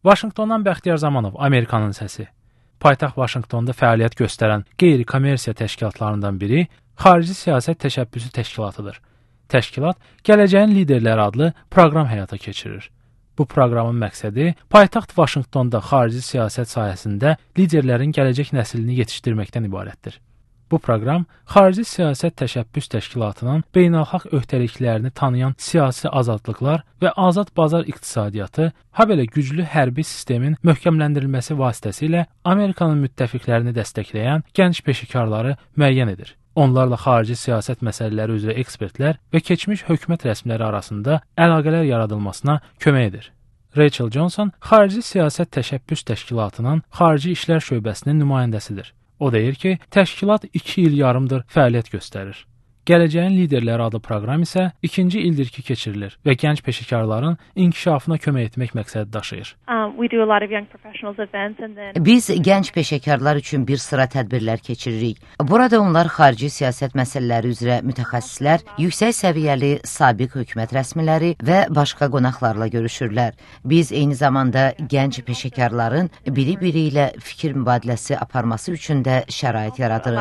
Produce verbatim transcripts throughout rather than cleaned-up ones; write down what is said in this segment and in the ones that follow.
Vaşinqtondan Bəxtiyar Zamanov, Amerikanın səsi. Paytaxt Vaşinqtonda fəaliyyət göstərən qeyri-kommersiya təşkilatlarından biri Xarici Siyasət Təşəbbüsü Təşkilatıdır. Təşkilat Gələcəyin Liderləri adlı proqram həyata keçirir. Bu proqramın məqsədi paytaxt Vaşinqtonda xarici siyasət sahəsində liderlərin gələcək nəslini yetişdirməkdən ibarətdir. Bu proqram Xarici Siyasət Təşəbbüs Təşkilatının beynəlxalq öhdəliklərini tanıyan siyasi azadlıqlar və azad bazar iqtisadiyyatı, habelə güclü hərbi sistemin möhkəmləndirilməsi vasitəsilə Amerikanın müttəfiqlərini dəstəkləyən gənc peşəkarları müəyyən edir. Onlarla xarici siyasət məsələləri üzrə ekspertlər və keçmiş hökumət rəsmiləri arasında əlaqələr yaradılmasına kömək edir. Rachel Johnson Xarici Siyasət Təşəbbüs Təşkilatının Xarici İşlər şöbəsinin nümayəndəsidir. O deyir ki, təşkilat iki il yarımdır fəaliyyət göstərir. Gələcəyin Liderləri adlı proqram isə ikinci ildir ki, keçirilir və gənc peşəkarların inkişafına kömək etmək məqsədi daşıyır. Biz gənc peşəkarlar üçün bir sıra tədbirlər keçiririk. Burada onlar xarici siyasət məsələləri üzrə mütəxəssislər, yüksək səviyyəli sabiq hökumət rəsmiləri və başqa qonaqlarla görüşürlər. Biz eyni zamanda gənc peşəkarların biri-biri ilə fikir mübadiləsi aparması üçün də şərait yaradırıq.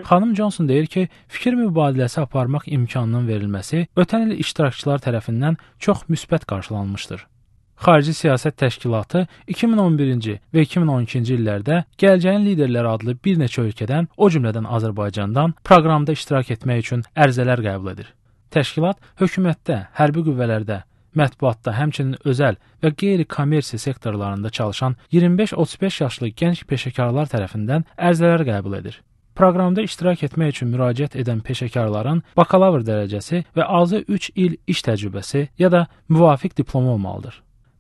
Xanım Johnson deyir ki, fikir mübadiləsi aparmaq imkanının verilməsi ötən il iştirakçılar tərəfindən çox müsbət qarşılanmışdır. Xarici Siyasət Təşkilatı iki min on birinci və iki min on ikinci illərdə Gələcəyin Liderləri adlı bir neçə ölkədən, o cümlədən Azərbaycandan proqramda iştirak etmək üçün ərizələr qəbul edir. Təşkilat hökumətdə, hərbi qüvvələrdə, mətbuatda, həmçinin özəl və qeyri-kommersiya sektorlarında çalışan iyirmi beş otuz beş yaşlı gənc peşəkarlar tərəfindən ərizələr qəbul edir. Proqramda iştirak etmək üçün müraciət edən peşəkarların bakalavr dərəcəsi və azı üç il iş təcrübəsi ya da müvafiq diplomu olmalıdır.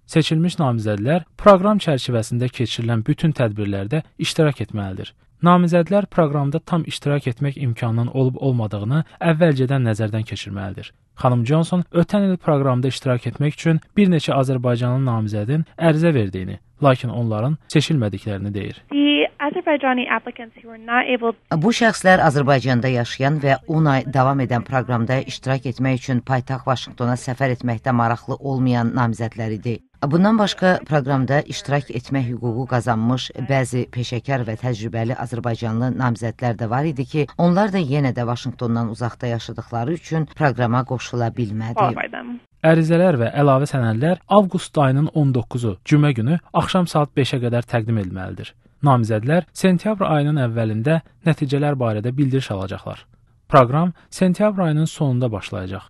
Seçilmiş namizədlər proqram çərçivəsində keçirilən bütün tədbirlərdə iştirak etməlidir. Namizədlər proqramda tam iştirak etmək imkanının olub-olmadığını əvvəlcədən nəzərdən keçirməlidir. Xanım Johnson ötən il proqramda iştirak etmək üçün bir neçə Azərbaycanlı namizədin ərizə verdiyini, lakin onların seçilmədiklərini deyir. Bu şəxslər Azərbaycanda yaşayan və on ay davam edən proqramda iştirak etmək üçün paytaxt Vaşinqtona səfər etməkdə maraqlı olmayan namizədlər idi. Bundan başqa proqramda iştirak etmək hüququ qazanmış bəzi peşəkar və təcrübəli Azərbaycanlı namizədlər də var idi ki, onlar da yenə də Vaşinqtondan uzaqda yaşadıkları üçün proqrama qoşula bilmədi. Ərizələr və əlavə sənədlər avqust ayının on doqquzu cümə günü axşam saat beşə qədər təqdim edilməlidir. Namizədlər sentyabr ayının əvvəlində nəticələr barədə bildiriş alacaqlar. Proqram sentyabr ayının sonunda başlayacaq.